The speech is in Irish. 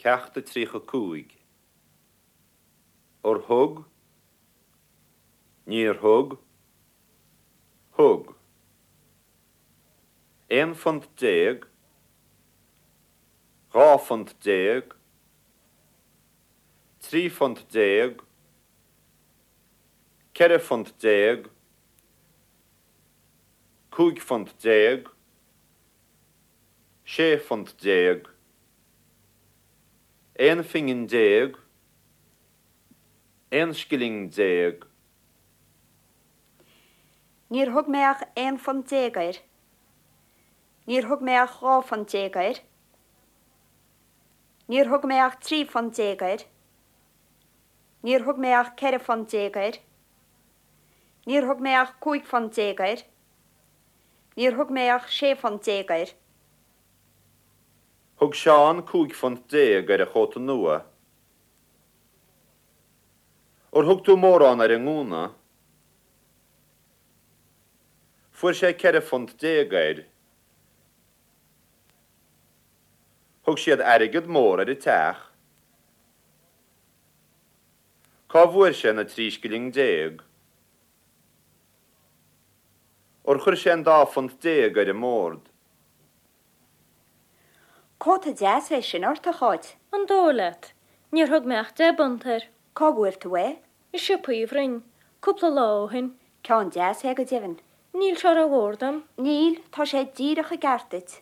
Ceacht 35. Ar thug? Níor thug? Thug. £11 phunt. £12 phunt. £13 phunt. £14 phunt. £15 phunt. £16 phunt. 11 phingin, 11 scilling. Níor thug mé ach £11 phunt air. Níor thug mé ach £12 phunt air. Níor thug mé ach £13 phunt air. Níor thug mé ach £14 phunt air. Níor thug mé ach £15 phunt air. Níor thug mé ach £16 phunt air. Thug Seán £15 phunt ar a chóta nua. Ar thug tú mórán ar an ngúna? Fuair sé £14 phunt air. Thug siad airgead mór ar an teach. Cá bhfuair sé na 13 scilling? Ar chuir sé an dá phunt déag ar an mbord? Cóta deas é sin ort, a Cháit. An dóigh leat? Níor thug mé ach deich bpunt air. Cá bhfuair tú é? I siopa Uí Bhroin, cúpla lá ó shin. Ceann deas é go deimhin. Níl sé rómhór dom. Níl, tá sé díreach i gceart duit.